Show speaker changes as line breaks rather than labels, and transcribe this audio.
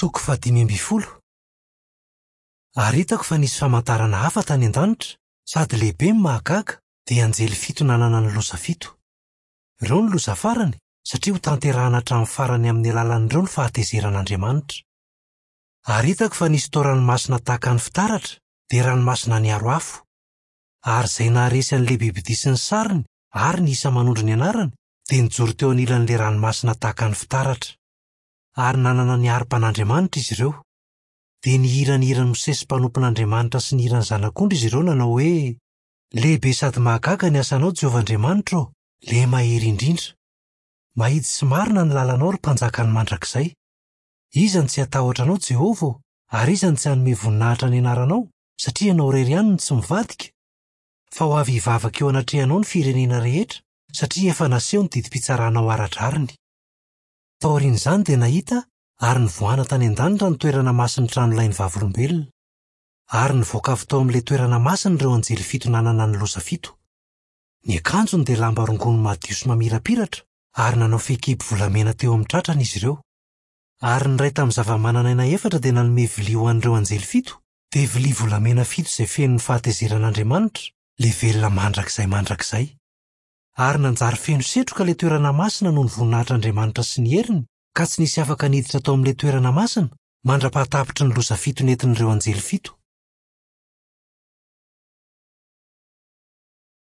Toko fahadimy ambin'ny folo. Ary hitako fa nisy famantarana hafa tany an-danitra, sady lehibe no mahagaga, dia anjely fito nanana ny loza fito. Ireo no loza farany, satria hotanterahana hatramin'ny farany amin'ny alalan'ireo ny fahatezeran'Andriamanitra. Ary hitako fa nisy tao ranomasina tahaka ny fitaratra, dia ranomasina niaro afo. Ary izay naharesy an'ilay bibidia sy ny sariny ary ny isa manondro ny anarany, dia nijoro teo anilan'ilay ranomasina tahaka ny fitaratra. Ary nanana ny harpan'Andriamanitra izy ireo. Dia nihira ny hiran'i Mosesy mpanompon'Andriamanitra sy ny hiran'ny Zanak'ondry izy ireo nanao hoe, Lehibe sady mahagaga ny asanao, Jehovah Andriamanitra ô, Ilay Mahery Indrindra. Mahitsy sy marina ny lalanao, ry Mpanjakan'ny mandrakizay. Iza no tsy hatahotra anao, Jehovah ô, ary iza no tsy hanome voninahitra ny anaranao, satria ianao irery ihany no tsy mivadika? Fa ho avy hivavaka eo anatrehanao ny firenena rehetra, satria efa naseho ny didim-pitsaranao ara-drariny. Taorian'izany dia nahita ary nivoahana tany an-danitra ny toerana masin'ny tranolain'ny Vavolombelona. Ary nivoaka avy tao amin'ilay toerana masina ireo anjely fito nanana ny loza fito. Ny akanjony dia lamba rongony madio sy mamirapiratra, ary nanao fehikibo volamena teo amin'ny tratrany izy ireo. Ary ny iray tamin'ny zava-manan'aina efatra dia nanome vilia ho an'ireo anjely fito, dia vilia volamena fito izay feno ny fahatezeran'Andriamanitra, ilay velona mandrakizay mandrakizay. Ary nanjary feno setroka ilay toerana masina noho ny voninahitr'Andriamanitra sy ny heriny, ka tsy nisy afaka niditra tao amin'ilay toerana masina, mandra-pahatapitry ny loza fito nentin'ireo anjely fito.